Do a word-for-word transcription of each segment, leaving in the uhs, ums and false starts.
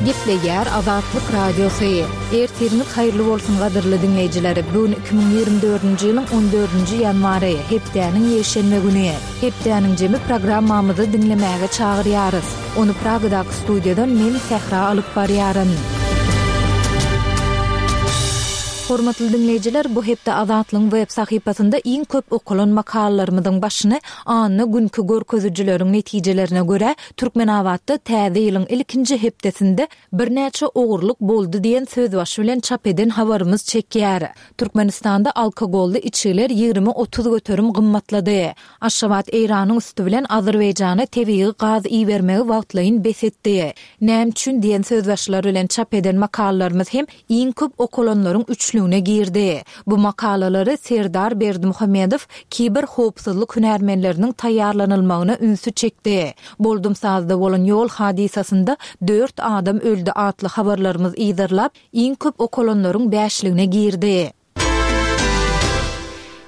Gepleýär Azatlyk Radiosy. Ertiriňiz haýyrly bolsun gadyrly diňleýjiler. Bu gün iki müň ýigrimi dördünji ýylyň on dördünji ýanwary, hepdäniň ýekşenbe güni. Hepdäniň jemi programmamyzy diňlemäge çagyrýarys. Ony Pragadaky studiýadan men Sähra alyp barýaryn. Hormatly diňleýjiler, bu hepde Azatlygyň web sahypasynda iň köp okalan makalalarymyzyň başyny anna günki görkezijileriň netijelerine görä Türkmenabatda täze ýylyň ilkinji hepdesinde birnäçe ogurlyk boldy diýen sözbaşy bilen çap eden habarymyz çekýär. Türkmenistanda alkogolly içgiler ýigrimi otuz göterim gymmatlady. Aşgabat Eýranyň üsti bilen Azerbaýjana tebigy gaz ibermegi wagtlaýyn bes etdi. Näme üçin diýen sözbaşylar bilen çap eden makalalarymyz hem iň köp okalanlaryň üçlügine girdi. Bu makalalary Serdar Berdimuhamedow kiber howpsuzlyk hünärmenleriniň taýýarlanylmagyna ünsi çekdi. Boldumsazda bolan ýol hadysasynda dört adam öldi atly habarlarymyz yzarlap, iň köp okalanlaryň bäşligine girdi.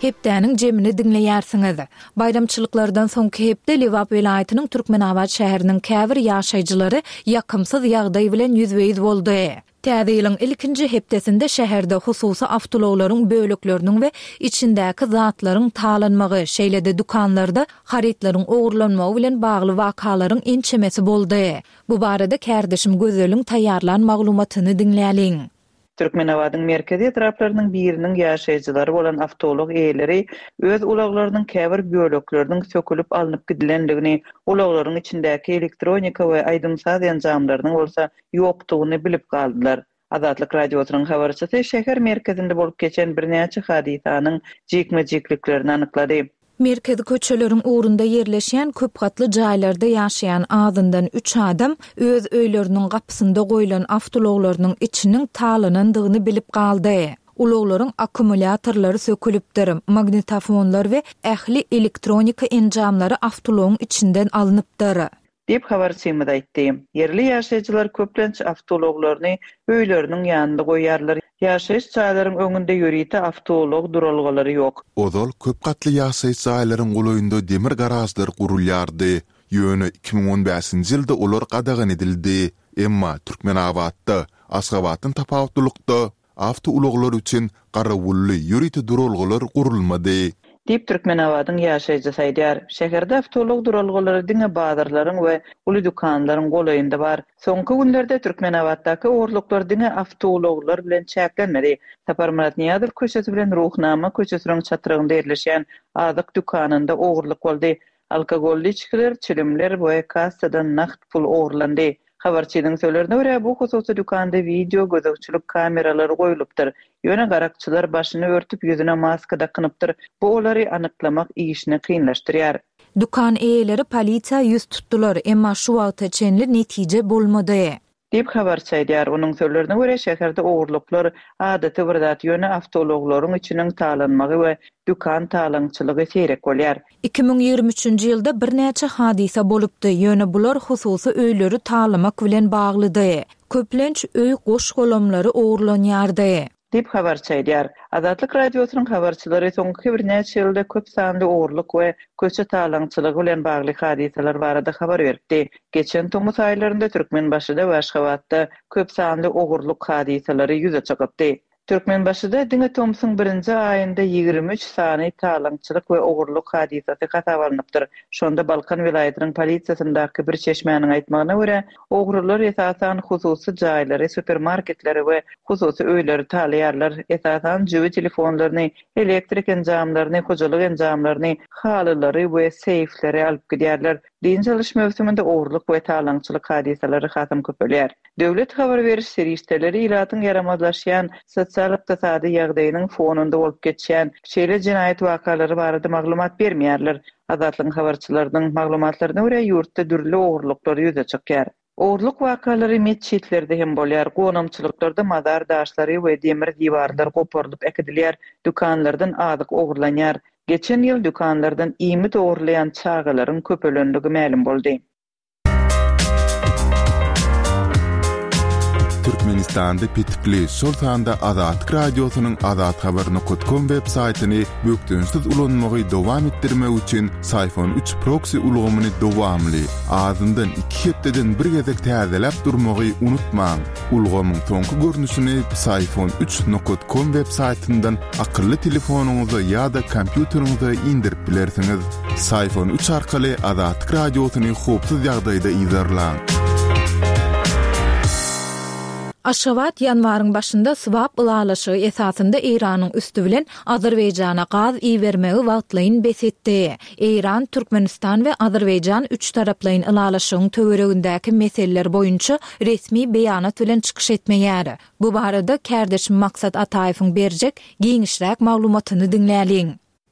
Hepdäniň jemini diňleýärsiňiz. Baýramçylyklardan soňky hepde Lebap welaýatynyň Türkmenabat şäheriniň käbir ýaşaýjylary ýakymsyz ýagdaý bilen ýüzbe-ýüz boldy. Täze ýylyň ilkinji hepdesinde şäherde hususy awtoulaglaryň bölekleriniň we içindäki zatlaryň talanmagy, şeýle-de dükanlarda harytlaryň ogurlanmagy bilen bagly wakalaryň ençemesi boldy. Bu barada kärdeşim Gözeliň taýýarlan maglumatyny diňläliň. Türkmenabadyň merkezi etraplarynyň biriniň ýaşaýjylary bolan awtoulag eýeleri öz ulaglarynyň käbir bölekleriniň sökülip alnyp gidilendigini, ulaglaryň içindäki elektronika we aýdym-saz enjamlarynyň bolsa ýokdugyny bilip galdylar. Azatlyk Radiosynyň habarçysy şäher merkezinde bolup geçen birnäçe hadysanyň jikme-jikliklerini anyklady. Merkezi köçeleriň ugrunda ýerleşýän köp gatly jaýlarda ýaşaýan azyndan üç adam öz öýleriniň gapysynda goýlan awtoulaglarynyň içiniň talanandygyny bilip galdy. Ulaglaryň akkumulýatorlary sökülipdir, magnitofonlar we ähli elektronika enjamlary awtoulagyň içinden alnypdyr. Diýip habarçymyz aýtdy. Ýerli ýaşaýjylar köplenç awtoulaglaryny öýleriniň ýanynda goýýarlar. Ýaşaýyş jaýlaryň öňünde ýörite awtoulag duralgalary ýok. Ozal köp gatly ýaşaýyş jaýlaryň golaýynda demir garažlar gurulýardy. Ýöne iki müň on bäşinji ýylda olar gadagan edildi. Emma Türkmenabatda, Aşgabatdan tapawutlylykda, awtoulaglar üçin garawully ýörite duralgalar gurulmady. Diýip Türkmenabadyň ýaşaýjysy aýdýar. Şäherde awtoulag duralgalary diňe bazarlaryň we uly dükanlaryň golaýynda bar. Soňky günlerde Türkmenabatdaky ogurlyklar diňe awtoulaglar bilen çäklenmedi. Saparmyrat Nyýazow köçesi bilen Ruhnama köçesiniň çatrygynda ýerleşýän azyk dükanynda ogurlyk boldy. Alkogolly içgiler, çilimler we kassadan nagt pul ogurlandy. Habarçynyň sözlerine görä, bu hususy dükanda video gözegçilik kameralary goýlupdyr. Ýöne garakçylar başyny örtüp ýüzüne maska dakynypdyr. Bu olary anyklamak işini kynlaşdyrýar. Dükan eýeleri polisiýa ýüz tutdular, emma şu wagta çenli netije bolmady. Diýip habarçy aýdýar. Onuň sözlerine görä, şäherde ogurlyklar adaty bir zat, ýöne awtoulaglaryň içiniň talanmagy we dükan talaňçylygy seýrek bolýar. Iki müň ýigrimi üçünji ýylda birnäçe hadysa bolupdy, ýöne bular hususy öýleri talamak bilen baglydy. Köplenç öý goş-golamlary ogurlanýardy. Diýip habarçy aýdýar. Azatlyk Radiosynyň habarçylary soňky birnäçe ýylda köp sanly ogurlyk we köçe talaňçylygy bilen bagly hadysalar barada habar beripdi. Geçen tomus aýlarynda Türkmenbaşyda we Aşgabatda köp sanly ogurlyk hadysalary ýüze çykypdy. Türkmenbaşyda diňe tomsuň birinji aýynda ýigrimi üç sany talaňçylyk we ogurlyk hadysasy hasap alnypdyr. Şonda Balkan welaýatynyň polisiýasyndaky bir çeşmäniň aýtmagyna görä, ogrular esasan hususy jaýlary, supermarketleri we hususy öýleri talaýarlar. Esasan jübi telefonlaryny, elektrik enjamlaryny, hojalyk enjamlaryny, halylary we seýfleri alyp gidýärler. Dynç alyş möwsüminde ogurlyk we talaňçylyk hadysalary hasam köpelýär. Döwlet habar beriş serişdeleri ilatyň ýaramazlaşýan sosial-ykdysady ýagdaýynyň fonunda bolup geçýän şeýle jenaýat wakalary barada maglumat bermeýärler. Azatlygyň habarçylarynyň maglumatlaryna görä, ýurtda dürli ogurlyklar ýüze çykýar. Ogurlyk wakalary metjitlerde hem bolýar. Gonamçylyklarda mazar daşlary we demir diwarlar goparylyp äkidilýär, dükanlardan azyk ogurlanýar. Geçen ýyl dükanlardan iýmit ogurlaýan çagalaryň köpelenligi mälim boldy. Türkmenistanda petikli, şol sanda Azatlyk Radiosynyň azathabar nokat kom web saýtyny bökdençsiz ulanmagy dowam etdirmek üçin Syfon üç proksi ulgamyny dowamly, azyndan iki hepdeden bir gezek täzeläp durmagy unutmaň. Ulgamyň soňky görnüşini Syfon üç nokat kom web saýtyndan akylly telefonyňyza ýa-da kompýuteriňize indirip bilersiňiz. Syfon üç arkaly Azatlyk Radiosyny howpsuz ýagdaýda yzarlaň. Aşgabat ýanwaryň başynda swap ylalaşygy esasynda Eýranyň üsti bilen Azerbaýjana gaz ibermegi wagtlaýyn bes etdi. Eýran, Türkmenistan we Azerbaýjan üç taraplaýyn ylalaşygyň töweregindäki meseleler boýunça resmi beýanat bilen çykyş etmeýär. Bu barada kärdeşim Maksat Ataýewiň berjek giňişräk maglumatyny diňläliň.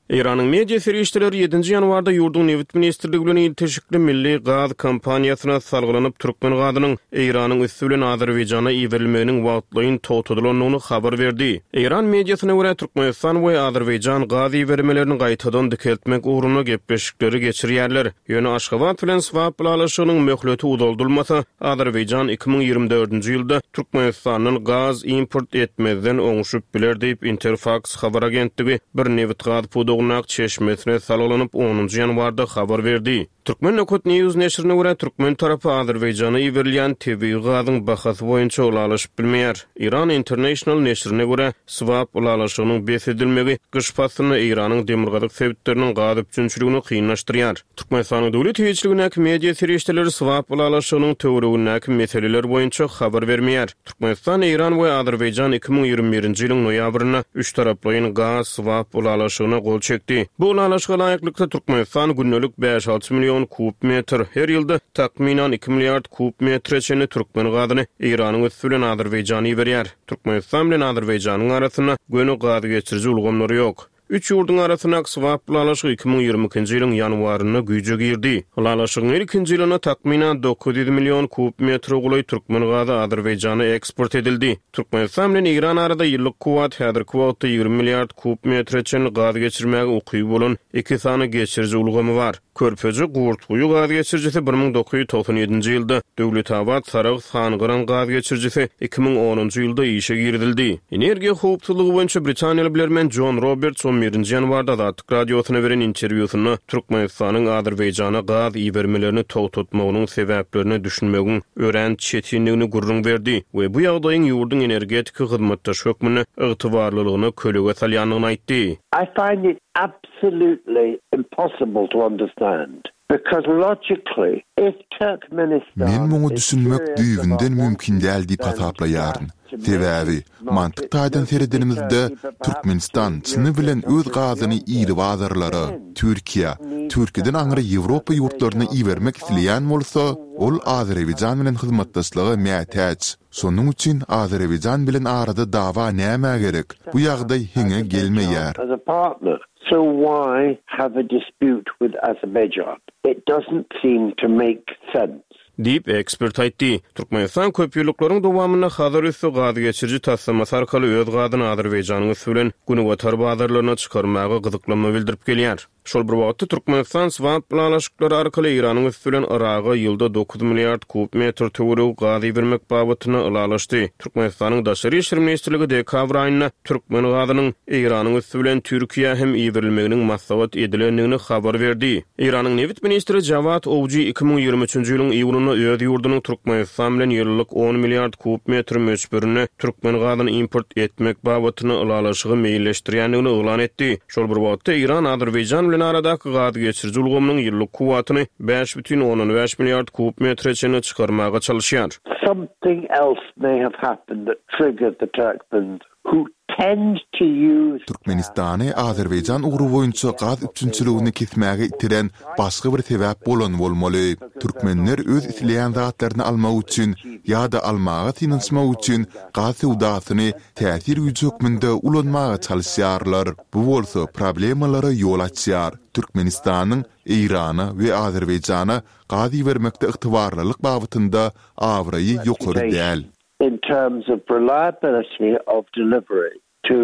Eýranyň media serişdeleri ýedinji ýanwarda ýurduň nebit ministrligi bilen ilteşikli milli gaz kompaniýasyna salgylanyp türkmen gazynyň Eýranyň üsti bilen Azerbaýjana iberilmeginiň wagtlaýyn togtadylandygyny habar berdi. Eýran mediasyna görä Türkmenistan we Azerbaýjan gaz ibermelerini gaýtadan dikeltmek ugrunda gepleşikleri geçirýärler. Ýöne Aşgabat bilen swap ylalaşygynyň möhleti uzaldylmasa, Azerbaýjan iki müň ýigrimi dördünji ýylda Türkmenistandan gaz import etmezden oňşup biler diýip Interfax habar agentligi bir nebit gaz pudagyndaky çeşmesine salgylanyp onunjy ýanwarda habar berdi. Türkmen Nokat News neşirine görä türkmen tarapy Azerbaýjana iberilýän tebigy gazyň bahasy boýunça ylalaşyp bilmeýär. Iran International neşirine görä swap ylalaşygynyň bes edilmegi gyş paslynda Eýranyň demirgazyk sebitleriniň gaz üpjünçiligini kynlaşdyrýar. Türkmenistanyň döwlet eýeçiligindäki media serişdeleri swap ylalaşygynyň töweregindäki meseleler boýunça habar bermeýär. Türkmenistan, Eýran we Azerbaýjan iki müň ýigrimi birinji ýylyň noýabrynda üç taraplaýyn gaz swap ylalaşygyna gol çekdi. Bu ylalaşyga laýyklykda Türkmenistan gündelik bäş alty million kub metr, her ýylda takmynan iki milliard kub metre çenli türkmen gazyny Eýranyň üsti bilen Azerbaýjana iberýär. Türkmenistan bilen Azerbaýjanyň arasynda göni gaz geçiriji ulgamlary ýok. Üç ýurduň arasyndaky swap ylalaşygy iki müň ýigrimi ikinji ýylyň ýanwarynda güýje girdi. Ylalaşygyň ilkinji ýylynda takmynan dokuz ýüz million kub metre golaý türkmen gazy Azerbaýjana eksport edildi. Türkmenistan bilen Eýran arada ýyllyk kuwwat häzirki wagtda ýigrimi milliard kub metre çenli gaz geçirmäge ukyby bolan iki sany geçiriji ulgamy bar. Körpeji Gurtguýy gaz geçirijisi bir müň dokuz ýüz togsan ýedinji ýylda, Döwletabat Sarahs Hangyran gaz geçirijisi iki müň onunjy ýylda işe girizildi. Energiýa howpsuzlygy boýunça Britaniýaly bilermen John Roberts on birinji ýanwarda Azatlyk Radiosyna beren interwýusynda Türkmenistanyň Azerbaýjana gaz ibermelerini togtatmagynyň sebäplerine düşünmegiň örän çetinligini gürrüň berdi we bu ýagdaýyň ýurduň energetika hyzmatdaşy hökmünde ygtybarlylygyna kölege salýandygyny aýtdy. I find it absolutely impossible to understand because logically if Turkmenistan Men muňa is düşünmek serious düýbünden about mümkin däl diýip wanting hasaplaýaryn. gas to Sebäbi make mantyk market taýdan not seredenimizde Turkey, but perhaps Türkmenistan to çyny European bilen öz countries gazyny beyond iri that. bazarlara, Then Türkiýe, need Türkiýeden to aňry have Ýewropa ýurtlaryna Azerbaijan ibermek as isleýän bolsa, ol Azerbaýjan bilen hyzmatdaşlyga mätäç. Şonuň üçin Azerbaýjan bilen arada dawa näme gerek? Bu ýagdaý heňe gelmeýär. As a partner. So why have a dispute with Azerbaijan? It doesn't seem to make sense. Diýip ekspert aýtdy. Türkmenistan köp ýyllyklaryň dowamynda Hazar üsti gaz geçiriji taslamasy arkaly öz gazyny Azerbaýjanyň üsti bilen Günbatar bazarlaryna çykarmaga gyzyklanma bildirip gelýär. Şol bir wagtda Türkmenistan swap ylalaşyklary arkaly Eýranyň üsti bilen Yraga ýylda dokuz milliard kub metr töweregi gaz ibermek babatynda ylalaşdy. Türkmenistanyň Daşary işler ministrligi dekabr aýynda türkmen gazynyň Eýranyň üsti bilen Türkiýä hem iberilmeginiň maslahat edilendigini habar berdi. Eýranyň nebit ministri Jawad Owji iki müň ýigrimi üçünji ýylyň iýunynda öz ýurdunyň Türkmenistan bilen ýyllyk on milliard kub metr möçberinde türkmen gazyny import etmek babatynda ylalaşygy meýilleşdirýändigini yglan etdi. Şol bir wagtda Eýran Azerbaýjan bilen aradaky gaz geçiriji ulgamynyň ýyllyk kuwwatyny bäş bütin ondan bäş milliard kub metre çenli çykarmaga çalışýar. Something else may have happened that triggered the Turkmens who tend to use Türkmenistany Azerbaýjan ugry boýunça gaz üpjünçiligini kesmäge itiren başga bir sebäp bolan bolmaly. Türkmenler öz isleýän zatlaryny almak üçin ýa-da almaga synanyşmak üçin gaz söwdasyny täsir güýji hökmünde ulanmaga çalışýarlar. Bu bolsa problemalara ýol açýar. Türkmenistanyň Eýrana we Azerbaýjana gaz ibermekde ygtybarlylyk babatynda abraýy ýokary däl. In terms of reliability of delivery to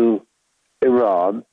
Iran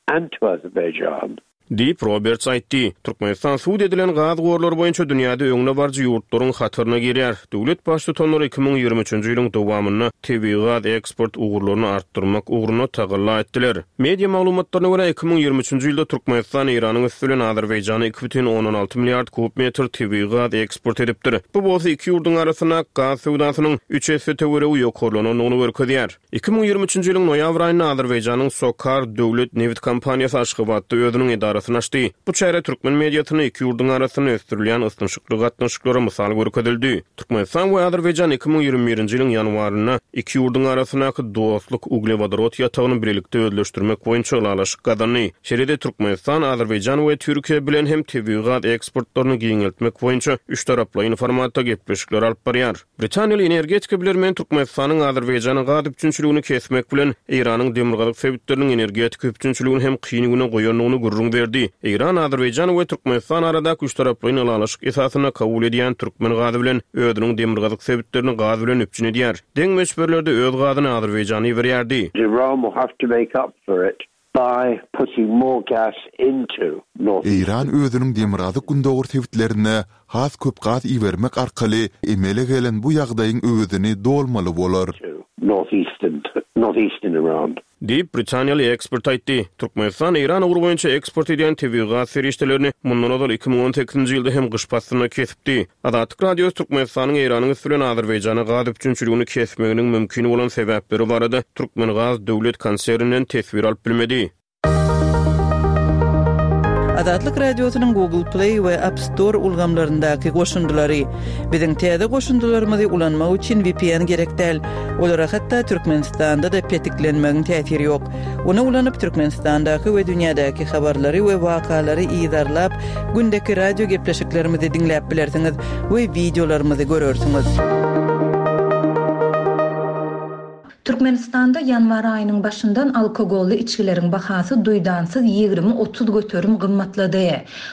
and to Azerbaijan. Diýip, Roberts aýtdy. Türkmenistan subut edilen gaz gorlary boýunça dünýäde öňdebaryjy ýurtlaryň hataryna girýär. Döwlet Baştutanlary iki müň ýigrimi üçünji ýylyň dowamynda tebigy gaz eksport ugurlaryny artdyrmak ugrunda tagalla etdiler. Media maglumatlaryna görä, iki müň ýigrimi üçünji ýylda Türkmenistan Eýranyň üsti bilen Azerbaýjana iki bütin ondan alty milliard kub metr tebigy gaz eksport edipdir. Bu bolsa iki ýurduň arasyndaky gaz söwdasynyň üç esse töweregi ýokarlanandygyny görkezýär. Iki müň ýigrimi üçünji ýylyň noýabr aýynda Azerbaýjanyň SOCAR döwlet nebit kompaniýasy Aşgabatda özüniň edarasyny açdy. Bu çäre türkmen mediasynda iki ýurduň arasynda ösdürilýän ysnyşykly gatnaşyklara mysal görkezildi. Türkmenistan we Azerbaýjan iki müň ýigrimi birinji ýylyň ýanwarynda iki ýurduň arasyndaky Dostluk uglewodorod ýatagyny bilelikde özleşdirmek boýunça ylalaşyk gazandy. Şeýle-de Türkmenistan, Azerbaýjan we Türkiýe bilen hem tebigy gaz eksportlaryny giňeltmek boýunça üçtaraplaýyn formatda gepleşikler alyp barýar. Britaniýaly energetika bilermeni Türkmenistanyň Azerbaýjana gaz üpjünçiligini kesmek bilen, Eýranyň demirgazyk sebitleriniň energetika üpjünçiligini hem kyn güne goýandygyny gürrüň berdi. Eýran, Azerbaýjan we Türkmenistan aradaky üçtaraplaýyn ylalaşyk esasynda kabul edýän türkmen gazy bilen özüniň demirgazyk sebitlerini gaz bilen üpjün edýär. Deň möçberlerde öz gazyny Azerbaýjana iberýärdi. Iran will have to make up for it by putting more gas into North Eýran özüniň demirgazyk-gündogar sebitlerine has köp gaz ibermek arkaly emele gelen bu ýagdaýyň öwezini dolmaly bolar. Northeastern, northeastern Iran. Diýip, britaniýaly ekspert aýtdy. Türkmenistan Eýran ugry boýunça eksport edýän tebigy gaz serişdelerini mundan ozal iki müň on sekizinji ýylda hem gyş paslynda kesipdi. Azatlyk Radiosy Türkmenistanyň Eýranyň üsti bilen Azerbaýjana gaz üpjünçiligini kesmeginiň mümkin bolan sebäpleri barada Türkmengaz döwlet konserninden teswir alyp bilmedi. Azatlyk Radiosynyň Google Play we App Store ulgamlaryndaky goşundylary. Biziň täze goşundylarymyzy ulanmak üçin V P N gerek däl. Olara hatda Türkmenistanda-da petiklenmegiň täsiri ýok. Ony ulanyp Türkmenistandaky we dünýädäki habarlary we wakalary yzarlap, gündeki radio gepleşiklerimizi diňläp bilersiňiz we wideolarymyzy görersiňiz. Türkmenistanda ýanwar aýynyň başyndan alkogolly içgileriň bahasy duýdansyz ýigrimi otuz göterim gymmatlady.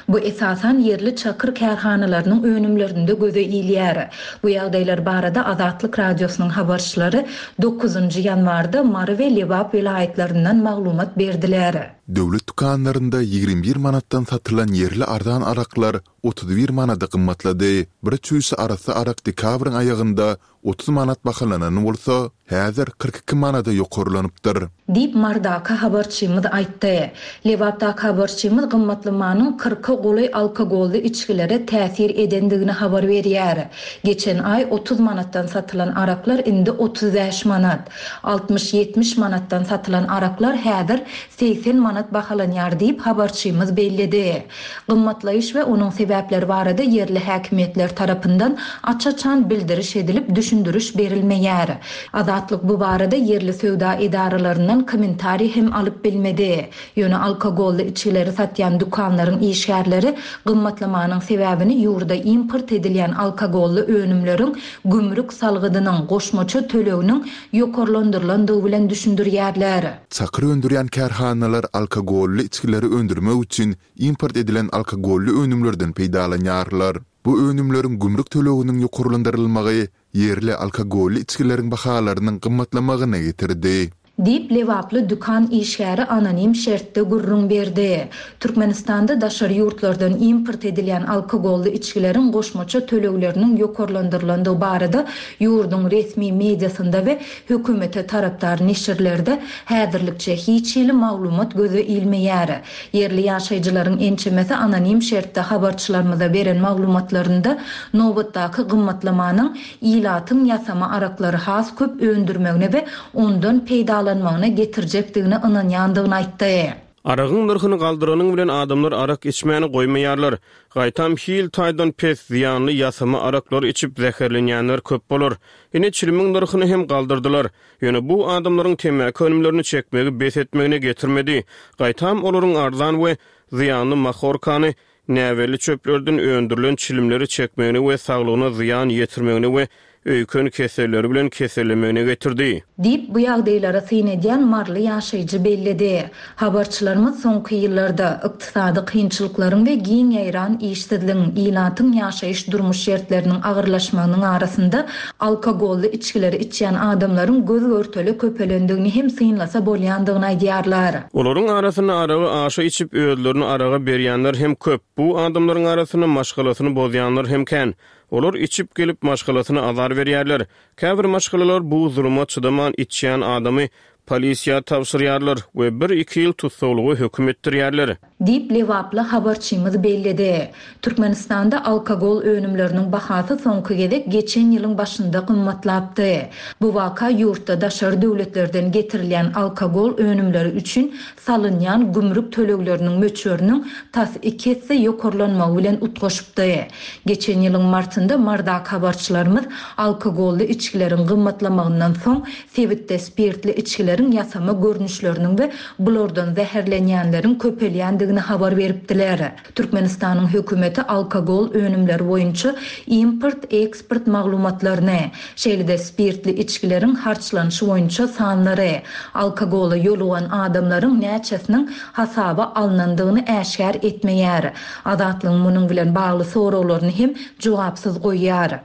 Bu esasan ýerli çakyr kärhanalarynyň önümlerinde göze ilýär. Bu ýagdaýlar barada Azatlyk Radiosynyň habarçylary dokuzynjy ýanwarda Mary we Lebap welaýatlaryndan maglumat berdiler. Döwlet dükanlarynda ýigrimi bir manatdan satylan ýerli arzan araklar otuz bir manada gymmatlady. Bir çüýşe arassa arak dekabryň aýagynda otuz manat bahalanan bolsa, häzir kyrk iki manada ýokarlanypdyr. Diýip Mardaka habarçymyz aýtdy. Lebapdaky habarçymyz gymmatlamanyň kyrka golaý alkogolly içgilere täsir edendigini habar berýär. Geçen aý otuz manatdan satylan araklar indi otuz bäş manat, altmyş ýetmiş manatdan satylan araklar häzir seksen manat bahalanýar diýip habarçymyz belledi. Gymmatlaýyş we onuň sebäpleri barada ýerli häkimiýetler tarapyndan aç-açan bildiriş edilip düşündiriş berilmeýär. Azatlyk bu barada ýerli söwda edaralaryndan kommentariý hem alyp bilmedi. Ýöne alkogolly içgileri satýan dükanlaryň işgärleri gymmatlamanyň sebäbini ýurda import edilýän alkogolly önümleriň gümrük salgydynyň goşmaça töleginiň ýokarlandyrylandygy bilen düşündirýärler. Çakyr öndürýän kärhanalar alkogolly içgileri öndürmek üçin import edilen alkogolly önümlerden peýdalanýarlar. Bu önümleriň gümrük töleginiň ýokarlandyrylmagy ýerli alkogolly içgileriň bahalarynyň gymmatlamagyna getirdi. Diýip Lebaply dükan işgäri anonim şertde gürrüň berdi. Türkmenistanda daşary ýurtlardan import edilýän alkogolly içgileriň goşmaça tölegleriniň ýokarlandyrylandygy barada ýurduň resmi mediasynda we hökümete tarapdar neşirlerde häzirlikçe hiç hili maglumat göze ilmeýär. Ýerli ýaşaýjylaryň ençemesi anonim şertde habarçylarymyza beren maglumatlarynda nobatdaky gymmatlamanyň ilatyň ýasama araklary has köp öndürmegine we ondan peýdalanmagyna getirjekdigine ynanýandygyny aýtdy. Aragyň nyrhyny galdyranyň bilen adamlar arak içmäni goýmaýarlar. Gaýtam hil taýdan pes zyýanly ýasama araklary içip zäherlenýänler köp bolar. Ine çilimiň nyrhyny hem galdyrdylar. Ýöne bu adamlaryň temmäki önümlerini çekmegi bes etmegine getirmedi. Gaýtam olaryň arzan we zyýanly mahorkany näbelli çöplerden öndürilen çilimleri çekmegine we saglygyna zyýan ýetirmegine we öýken keselleri bilen kesellemegine getirdi. Diýip, bu ýagdaýlara syn edýän maryly ýaşaýjy belledi. Habarçylarymyz soňky ýyllarda, ykdysady kynçylyklaryň we giň ýaýran işsizligiň, ilatyň ýaşaýyş-durmuş şertleriniň agyrlaşmagynyň arasynda alkogolly içgileri içýän adamlaryň göz-görtele köpelendigini hem synlasa bolýandygyny aýdýarlar. Olaryň arasynda aragy aşa içip, özlerini araga berýänler hem köp. Bu adamlaryň arasynda maşgalasyny bozýanlar hem kän. Olar içip gelip maşgalasyna azar berýärler. Käbir maşgalalar bu zuluma çydaman içýän adamy polisiýa tabşyrýarlar we bir-iki ýyl tussaglyga höküm etdirýärler. Diýip, lebaply habarçymyz belledi. Türkmenistanda alkogol önümleriniň bahasy soňky gezek geçen ýylyň başynda gymmatlapdy. Bu waka ýurtda daşary döwletlerden getirilýän alkogol önümleri üçin salynýan gümrük tölegleriniň möçberiniň tas iki esse ýokarlanmagy bilen utgaşypdy. Geçen ýylyň martynda Mardaky habarçylarymyz alkogolly içgileriň gymmatlamagyndan soň sebitde spirtli içgileriň ýasama görnüşleriniň we bulardan zäherlenýänleriň köpelýändigini habar beripdiler. Türkmenistanyň hökümeti alkogol önümleri boýunça import-eksport maglumatlaryny, şeýle-de spirtli içgileriň harçlanyşy boýunça sanlary, alkogola ýolugan adamlaryň näçesiniň hasaba alnandygyny äşgär etmeýär. Azatlygyň munuň bilen bagly soraglaryny hem jogapsyz goýýar.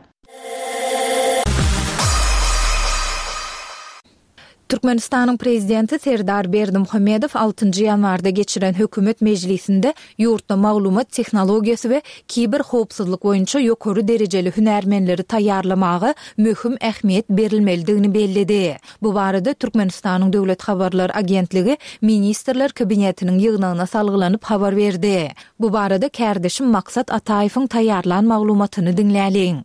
Türkmenistanyň Prezidenti Serdar Berdimuhamedow altynjy ýanwarda geçiren hökümet mejlisinde ýurtda maglumat tehnologiýasy we kiberhowpsuzlyk boýunça ýokary derejeli hünärmenleri taýýarlamaga möhüm ähmiýet berilmelidigini belledi. Bu barada Türkmenistanyň Döwlet habarlar agentligi Ministrler Kabinetiniň ýygnagyna salgylanyp habar berdi. Bu barada kärdeşim Maksat Ataýewiň taýýarlan maglumatyny diňläliň.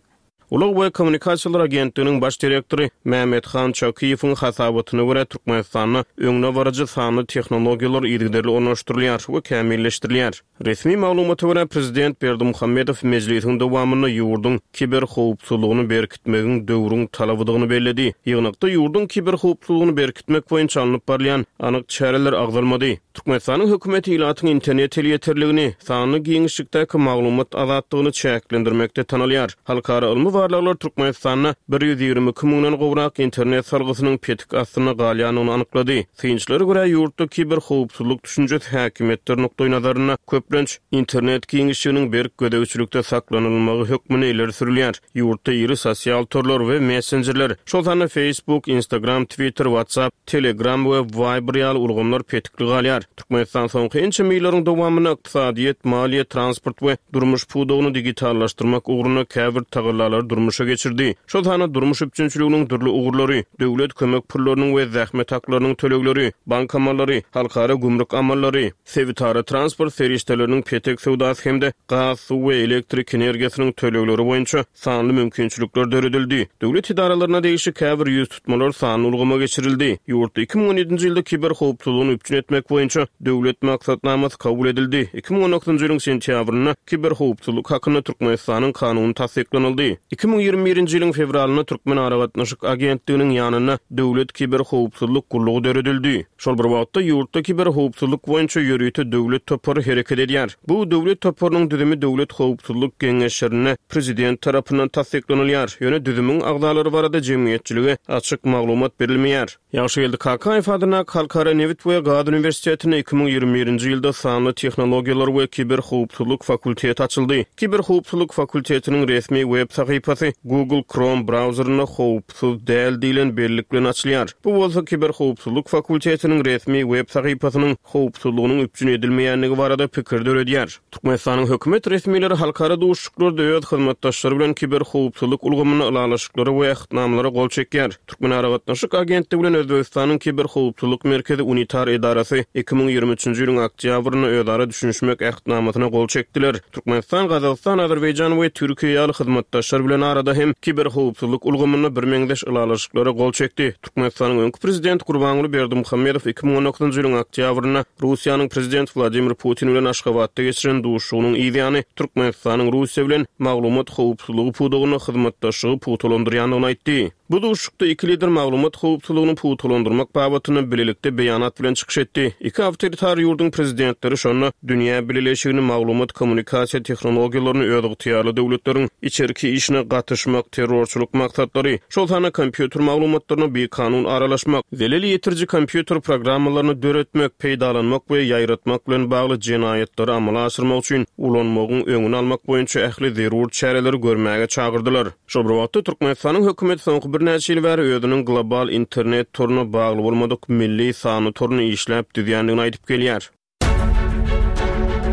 Ulag we kommunikasiýalar agentliginiň baş direktory Mämmethan Çakyýewiň hasabatyna görä, Türkmenistanda öňdebaryjy sanly tehnologiýalar yzygiderli ornaşdyrylýar we kämilleşdirilýär. Resmi maglumata görä, prezident Berdimuhamedow mejlisiň dowamynda ýurduň kiberhowpsuzlygyny berkitmegiň döwrüň talabydygyny belledi. Ýygnakda ýurduň kiberhowpsuzlygyny berkitmek boýunça alnyp barylýan anyk çäreler agzalmady. Türkmenistanyň hökümeti ilatyň internet elýeterligini, sanly giňişlikdäki maglumat azatlygyny çäklendirmekde tanalýar. Halkara ylmy barlaglar Türkmenistanda bir ýüz ýigrimi iki müňden gowrak internet salgysynyň petik astynda galýandygyny anyklady. Synçylara görä, ýurtda kiberhowpsuzlyk düşünjesi häkimiýetler nukdaýnazarynda köplenç internet giňişliginiň berk gözegçilikde saklanylmagy hökmünde ileri sürülýär. Ýurtda iri sosial torlar we messenjerler, şol sanda Facebook, Instagram, Twitter, WhatsApp, Telegram we Viber ýaly ulgamlar petikli galýar. Türkmenistan soňky ençeme ýyllaryň dowamynda ykdysadyýet, maliýe, transport we durmuş pudagyny digitallaşdyrmak ugrunda käbir tagallalary durmuşa geçirdi. Şol sanda durmuş üpjünçiliginiň dürli ugurlary, döwlet kömek pullarynyň we zähmet haklarynyň tölegleri, bank amallary, halkara gümrük amallary, sebitara transport serişdeleriniň petek söwdasy hem-de gaz, suw we elektrik energiýasynyň tölegleri boýunça sanly mümkinçilikler döredildi. Döwlet edaralaryna degişli käbir ýüz tutmalar sanly ulgama geçirildi. Ýurtda iki müň on ýedinji ýylda kiberhowpsuzlygyny üpjün etmek boýunça döwlet maksatnamasy kabul edildi. Iki müň on dokuzynjy ýylyň sentýabrynda kiberhowpsuzlyk hakynda Türkmenistanyň kanuny tassyklanyldy. Iki müň ýigrimi birinji ýylyň fewralynda Türkmen aragatnaşyk agentliginiň ýanynda Döwlet kiberhowpsuzlyk gullugy döredildi. Şol bir wagtda ýurtda kiberhowpsuzlyk boýunça ýörite döwlet topary hereket edýär. Bu döwlet toparynyň düzümi Döwlet howpsuzlyk geňeşlerinde prezident tarapyndan tassyklanylýar. Ýöne düzümiň agzalary barada jemgyýetçilige açyk maglumat berilmeýär. Ýagşygeldi Kakaýew adyndaky Halkara nebit we gaz uniwersitetinde iki müň ýigrimi birinji ýylda sanly tehnologiýalar we kiberhowpsuzlyk fakulteti açyldy. Kiberhowpsuzlyk fakultetiniň resmi web sahypasy Google Chrome brauzerinde howpsuz däl diýlen bellik bilen açylýar. Bu bolsa kiberhowpsuzlyk fakultetiniň resmi web sahypasynyň howpsuzlygynyň üpjün edilmeýändigi barada pikir döredýär. Türkmenistanyň hökümet resmileri halkara duşuşyklarda öz hyzmatdaşlary bilen kiberhowpsuzlyk ulgamynda ylalaşyklara we ähtnamalara gol çekýär. Türkmen aragatnaşyk agentligi bilen Özbegistanyň kiberhowpsuzlyk merkezi unitar edarasy iki müň ýigrimi üçünji ýylyň oktýabrynda özara düşünişmek ähtnamasyna gol çekdiler. Türkmenistan, Gazagystan, Azerbaýjan we Türkiýe ýaly hyzmatdaşlar bilen arada hem kiberhowpsuzlyk ulgamynda birmeňzeş ylalaşyklara gol çekdi. Türkmenistanyň öňki prezidenti Gurbanguly Berdimuhamedow iki müň on dokuzynjy ýylyň oktýabrynda Russiýanyň prezidenti Wladimir Putin bilen Aşgabatda geçiren duşuşygynyň yzýany Türkmenistanyň Russiýa bilen maglumat howpsuzlygy pudagynda hyzmatdaşlygy pugtalandyrýandygyny aýtdy. Bu duşuşykda iki lider maglumat howpsuzlygyny pugtalandyrmak babatynda bilelikde beýanat bilen çykyş etdi. Iki awtoritar ýurduň prezidentleri şonda dünýä bileleşigini maglumat kommunikasiýa tehnologiýalaryny özygtyýarly döwletleriň içerki işine işine gatyşmak, terrorçylyk maksatlary, şol sanda kompýuter maglumatlaryna bikanun aralaşmak, zelel ýetiriji kompýuter programmalaryny döretmek, peýdalanmak we ýaýratmak bilen bagly jenaýatlary amala aşyrmak üçin ulanmagyň öňüni almak boýunça ähli zerur çäreleri görmäge çagyrdylar. Şol bir wagtda, Türkmenistanyň hökümeti soňky birnäçe ýyl bäri özüniň global internet toruna bagly bolmadyk milli sanly toruny işläp düzýändigini aýdyp gelýär.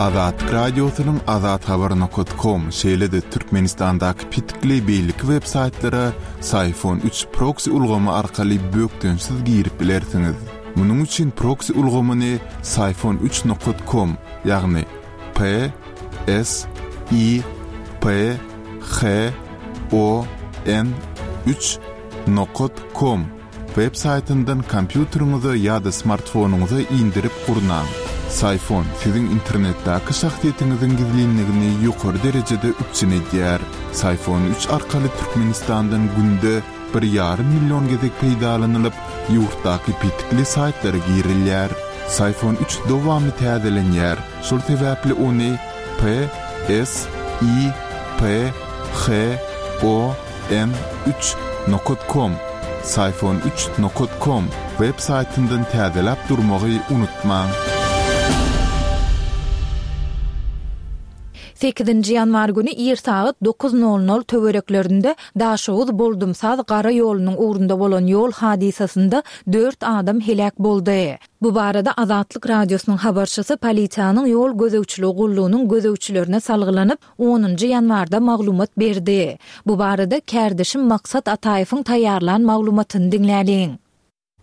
Azatlyk Radiosynyň azathabar nokat kom, şeýle-de Türkmenistandaky petikli beýleki web saýtlara Syfon üç proksi ulgamy arkaly bökdençsiz girip bilersiňiz. Munuň üçin proksi ulgamyny Syfon üç nokat kom, ýagny P S I P H O N üç nokat kom web saýtyndan kompýuteriňize ýa-da smartfonyňyza indirip gurnaň. Syfon siziň internetdäki şahsyýetiňiziň gizlinligini ýokary derejede üpjün edýär. Syfon üç arkaly Türkmenistandan günde bir ýarym million gezek peýdalanylyp, ýurtdaky petikli saýtlara girilýär. Syfon üç dowamly täzelenýär, şol sebäpli ony P S I P H O N üç nokat kom, Syfon üç nokat kom web saýtyndan täzeläp durmagy unutmaň. Sekizinji ýanwar güni ir sagat dokuz nol nol töwereklerinde Daşoguz Boldumsaz gara ýolunyň ugrunda bolan ýol hadysasynda dört adam heläk boldy. Bu barada Azatlyk Radiosynyň habarçysy polisiýanyň ýol gözegçiligi gullugynyň gözegçilerine salgylanyp, onunjy ýanwarda maglumat berdi. Bu barada kärdeşim Maksat Ataýewiň taýýarlan maglumatyny diňläliň.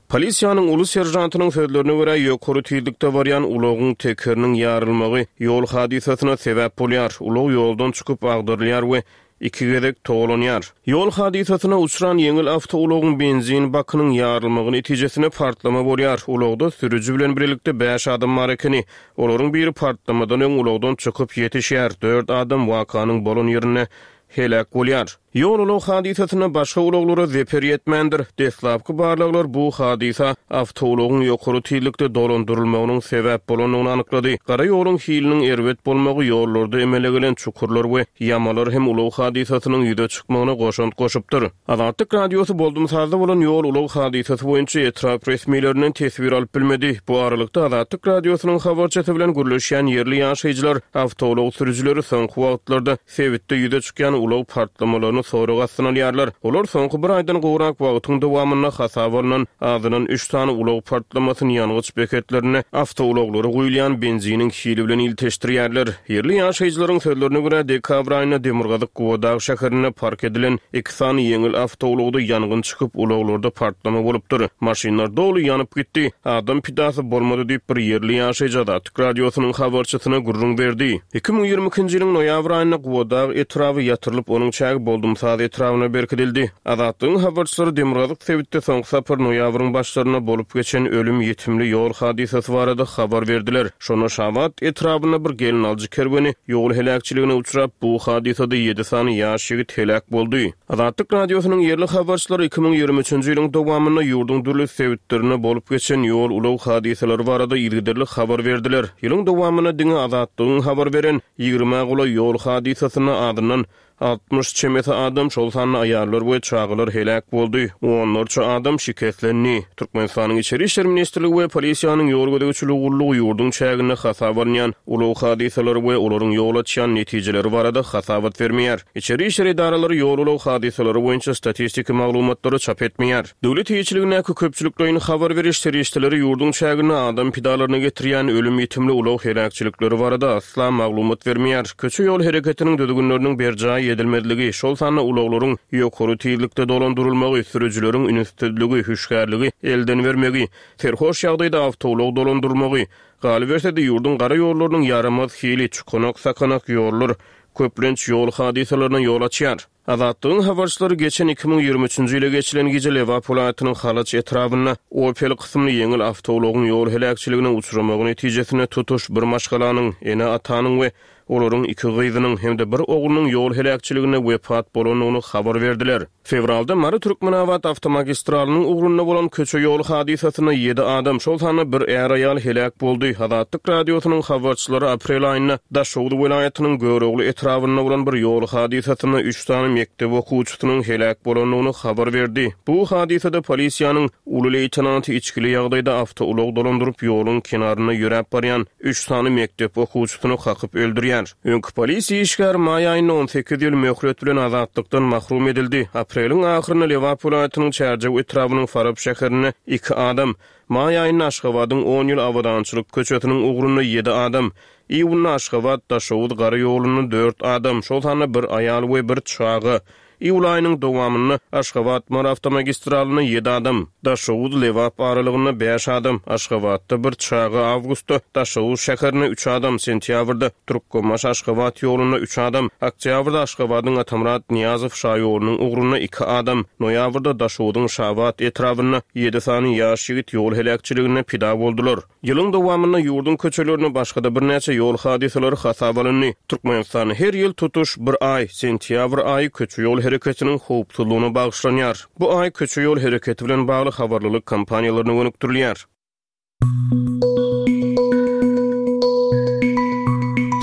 Polisiýanyň uly serjantynyň sözlerine görä, ýokary tizlikde barýan ulagyň tekeriniň ýarylmagy ýol hadysasyna sebäp bolýar. Ulag ýoldan çykyp agdarylýar we iki gezek togalanýar. Ýol hadysasyna uçran ýeňil awtoulagyň benzin bakynyň ýarylmagy netijesinde partlama bolýar. Ulagda sürüji bilen birlikde bäş adam bar ekeni. Olaryň biri partlamadan öň ulagdan çykyp ýetişýär. Dört adam wakanyň bolan ýerinde heläk bolýar. Ýol ulag hadysasynda başga ulaglara zeper ýetmändir. Deslapky barlaglar bu hadysa awtoulagyň ýokary tizlikde dolandyrylmagynyň sebäp bolandygyny anyklady. Gara ýoluň hiliniň erbet bolmagy ýollarda emele gelen çukurlar we ýamalar hem ulag hadysasynyň ýüze çykmagyna goşant goşupdyr. Azatlyk Radiosy Boldumsazda bolan ýol ulag hadysasy boýunça etrap resmilerinden teswir alyp bilmedi. Bu aralykda Azatlyk Radiosynyň habarçysy bilen gürleşýän ýerli ýaşaýjylar awtoulag sürüjileri soňky wagtlarda sebitde ýüze çykýan ulag partlamalaryny sorag astyna alýarlar. Olar soňky bir aýdan gowrak wagtyň dowamynda hasaba alnan azyndan üç sany ulag partlamasyny ýangyç beketlerine awtoulaglara guýulýan benziniň hili bilen ilteşdirýärler. Ýerli ýaşaýjylaryň sözlerine görä dekabr aýynda Demirgazyk Gubadag şäherinde park edilen iki sany ýeňil awtoulagda ýangyn çykyp ulaglarda partlama bolupdyr. Maşynlar doly ýanyp gitdi. Adam pidasy bolmady diýip bir ýerli ýaşaýjy Azatlyk Radiosynyň habarçysyna gürrüň berdi. Iki müň ýigrimi ikinji ýylyň noýabr aýynda Gubadag etraby ýatyrylyp, onuň çägi Boldumsaz etrabyna berkidildi. Azatlygyň habarçylary Demirgazyk sebitde soňky sapar noýabryň başlarynda bolup geçen ölüm ýetimli ýol hadysasy barada habar berdiler. Şonda Şabat etrabynda bir gelin alyjy kerweni ýol heläkçiligine uçrap, bu hadysada ýedi sany ýaş ýigit heläk boldy. Azatlyk Radiosynyň ýerli habarçylary iki müň ýigrimi üçünji ýylyň dowamynda ýurduň dürli sebitlerinde bolup geçen ýol ulag hadysalary barada yzygiderli habar berdiler. Ýylyň dowamynda diňe Azatlygyň habar beren ýigrimi golaý ýol hadysasynda azyndan altmyş çemesi adam, şol sanda aýallar we çagalar heläk boldy. Onlarça adam şikeslendi. Türkmenistanyň Içeri Işler Ministrligi we polisiýanyň ýol gözegçiligi gullugy ýurduň çäginde hasaba alynýan ulag hadysalary we olaryň ýol açýan netijeleri barada hasabat bermeýär. Içeri Işler edaralary ýol ulag hadysalary boýunça statistiki maglumatlary çap etmeýär. Döwlet eýeçiligindäki köpçülikleýin habar beriş serişdeleri ýurduň çäginde adam pidalaryna getirýän ölüm ýetimli ulag heläkçilikleri barada asla maglumat bermeýär. Köçe ýol hereketiniň düzgünleriniň berjaý edilmezligi, şol sanda ulaglaryň ýokary tizlikde dolandyrylmagy, sürüjileriň ünssüzligi, hüşgärligi elden bermegi, serhoş ýagdaýda awtoulag dolandyrylmagy, galyberse-de ýurduň gara ýollarynyň ýaramaz hili, çukanak sakanak ýollar köplenç ýol hadysalaryna ýol açýar. Azatlygyň habarçylary geçen iki müň ýigrimi üçünji ýyla geçilen gije Lebap welaýatynyň Halaç etrabynda Opel kysymly ýeňil awtoulagyň ýol heläkçiligine uçramagy netijesinde tutuş bir maşgalanyň, ene-atanyň we olaryň iki gyzynyň hem-de bir oglunyň ýol heläkçiliginde wepat bolandygyny habar berdiler. Fewralda Mary-Türkmenabat awtomagistralynyň ugrunda bolan köçe ýol hadysasynda ýedi adam, şol sanda bir är-aýal heläk boldy. Azatlyk Radiosynyň habarçylary aprel aýynda Daşoguz welaýatynyň Görogly etrabynda bolan bir ýol hadysasynda üç sany mekdep okuwçysynyň heläk bolandygyny habar berdi. Bu hadysada polisiýanyň uly leýtenanty içgili ýagdaýda awtoulag dolandyryp ýoluň kenarynda ýöräp barýan üç sany mekdep okuwçysyny kakyp öldürýär. Öňki polisiýa işgäri maý aýynda on sekiz ýyl möhlet bilen azatlykdan mahrum edildi. Apreliň ahyrynda Lebap welaýatynyň Çärjew etrabynyň Farap şäherinde iki adam, maý aýynda Aşgabadyň on ýyl Abadançylyk köçesiniň ugrunda ýedi adam, iýunda Aşgabat Daşoguz gara ýolunda dört adam, şol sanda bir aýal we bir çaga, iýul aýynyň dowamynda Aşgabat Mary awtomagistralynda ýedi adam, Daşoguz Lebap aralygynda bäş adam, Aşgabatda bir çaga, awgustda Daşoguz şäherinde üç adam, sentýabrda Türkmenbaşy Aşgabat ýolunda üç adam, oktýabrda Aşgabadyň Atamyrat Nyýazow şaýolunyň ugrunda iki adam, noýabrda Daşoguzyň Şabat etrabynda ýedi sany ýaş ýigit ýol heläkçiliginde pida boldular. Ýylyň dowamynda ýurduň köçelerinde başga-da birnäçe ýol hadysalary hasaba alyndy. Türkmenistan her ýyl tutuş bir aý, sentýabr aýy köçe ýol hereketiniň howpsuzlygyna bagyşlanýar. Bu aý köçe ýol hereketi bilen bagly habarlylyk kampaniýalaryna gönükdirilýär.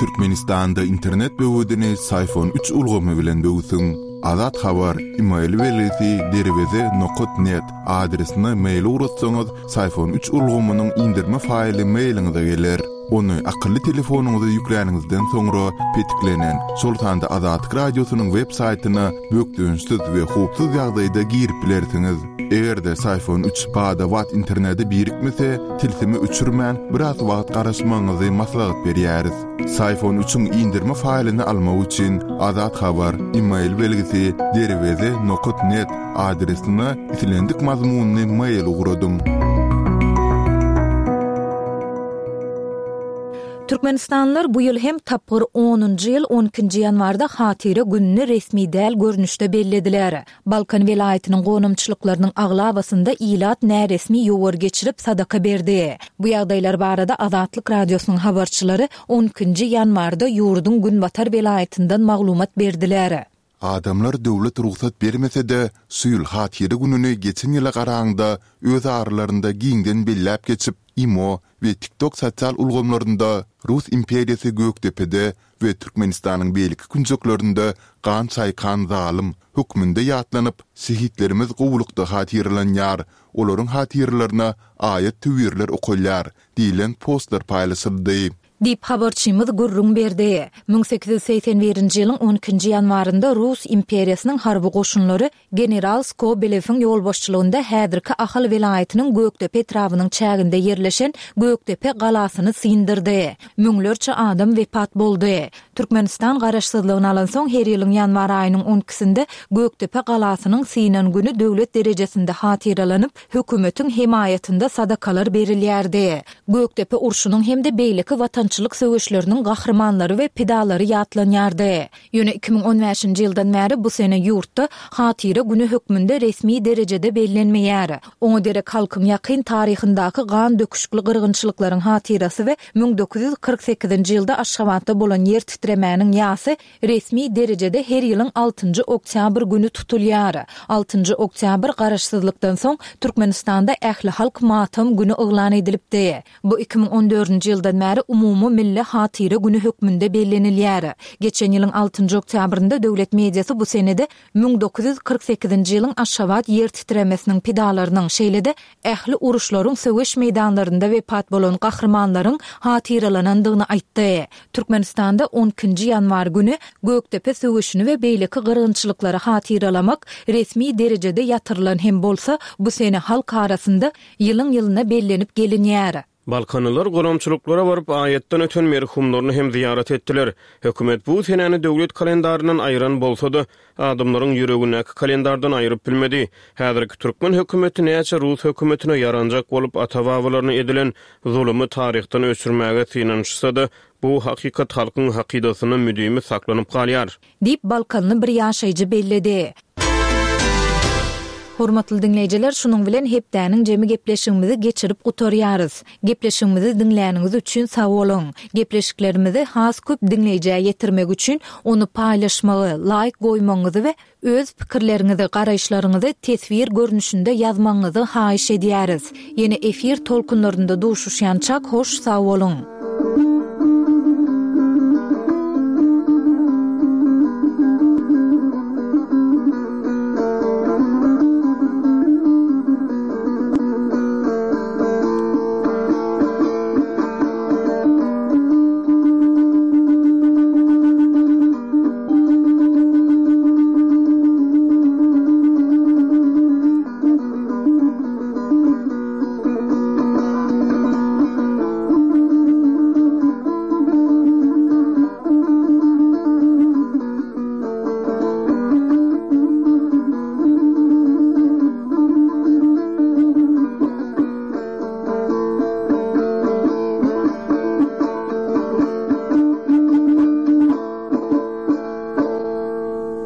Türkmenistanda internet böwedini Syfon üç ulgamy bilen böwsüň. Azat Habar, e-mail belgisi derweze nokat net adresine mail ugratsaňyz, Syfon üç ulgamynyň indirme faýly mailiňize geler. Ony akylly telefonyňyza ýükläniňizden soňra petiklenen, şol sanda Azatlyk Radiosynyň web saýtyna bökdençsiz we howpsuz ýagdaýda girip bilersiňiz. Eger-de Syfon üç bada-bat internete birikmese, tilsimi öçürmän biraz wagt garaşmagyňyzy maslahat berýäris. Syfon üçiň indirme faýlyny almak üçin Azat Habar, e-mail belgisi derweze nokat net adresine islendik mazmunyny mail ugradyň. Türkmenistanlylar bu ýyl hem tapgyr onunjy ýyl on ikinji ýanwarda Hatyra gününi resmi däl görnüşde bellediler. Balkan welaýatynyň gonamçylyklarynyň aglabasynda ilat näresmi ýowar geçirip sadaka berdi. Bu ýagdaýlar barada Azatlyk Radiosynyň habarçylary on ikinji ýanwarda ýurduň Günbatar welaýatyndan maglumat berdiler. Adamlar döwlet rugsat bermese-de, şu ýyl Hatyra gününi geçen ýyla garaňda öz aralarynda giňden belläp geçip, IMO we TikTok sosial ulgamlarynda Rus imperiýasy Gökdepede we Türkmenistanyň beýleki künjeklerinde gan çaýkan zalym hökmünde ýatlanyp, şehitlerimiz gowulykda hatyralanýar, olaryň hatyralaryna aýat töwirler okalýar diýlen postlar paýlaşyldy. Diýip habarçymyz gürrüň berdi. Müň sekiz ýüz segsen birinji ýylyň on ikinji ýanwarynda Rus imperiýasynyň harby goşunlary General Skobelewiň ýolbaşçylygynda häzirki Ahal welaýatynyň Gökdepe etrabynyň çäginde ýerleşen Gökdepe galasyny syndyrdy. Müňlerçe adam wepat boldy. Türkmenistan garaşsyzlygyny alansoň her ýylyň ýanwar aýynyň on ikisinde Gökdepe galasynyň synan günü döwlet derejesinde hatyralanyp, hökümetiň hemaýatynda sadakalar berilýärdi. Gökdepe urşunyň hem-de beýleki watançylyk söweşleriniň gahrymanlary we pidalary ýatlanýardy. Ýöne iki müň on bäşinji ýyldan bäri bu sene ýurtda Hatyra günü hökmünde resmi derejede bellenmeýär. Oňa derek halkyň ýakyn taryhyndaky gan döküşikli gyrgynçylyklaryň hatyrasy we müň dokuz ýüz kyrk sekizinji ýylda Aşgabatda bolan ýer titremäniň ýasy resmi derejede her ýylyň altynjy oktýabr günü tutulýar. Altynjy oktýabr garaşsyzlykdan soň Türkmenistanda ähli halk matam günü yglan edilipdi. Bu iki müň on dördünji ýyldan bäri umumy milli hatyra günü hökmünde bellenilýär. Geçen ýylyň altynjy oktýabrynda döwlet mediasy bu senede müň dokuz ýüz kyrk sekizinji ýylyň Aşgabat ýer titremesiniň pidalarynyň, şeýle-de ähli uruşlaryň söweş meýdanlarynda wepat bolan gahrymanlaryň hatyralanandygyny aýtdy. Türkmenistanda on ikinji ýanwar günü Gökdepe söweşini we beýleki gyrgynçylyklary hatyralamak resmi derejede ýatyrylan hem bolsa, bu sene halk arasynda ýylyň-ýylyna bellenip gelinýär. Balkanlylar goramçylyklara baryp aýatdan öten merhumlaryny hem ziýaret etdiler. Hökümet bu senäni döwlet kalendaryndan aýyran bolsa-da, adamlaryň ýüregindäki kalendardan aýyryp bilmedi. Häzirki türkmen hökümeti näçe Rus hökümetine ýaranjak bolup ata-babalaryny edilen zulumy taryhdan öçürmäge synanyşsa-da, bu hakykat halkyň hakydasyna müdimi saklanyp galýar. Diýip Balkanly bir ýaşaýjy belledi. Hormatly diňleýjiler, şunuň bilen hepdäniň jemi gepleşigimizi geçirip gutarýarys. Gepleşigimizi diňläniňiz üçin sag boluň. Gepleşiklerimizi has köp diňleýjä ýetirmek üçin ony paýlaşmagy, laýk goýmagyňyzy we öz pikirleriňizi, garaýyşlaryňyzy teswir görnüşinde ýazmagyňyzy haýyş edýäris. Ýene efir tolkunlarynda duşuşýançak hoş sag boluň.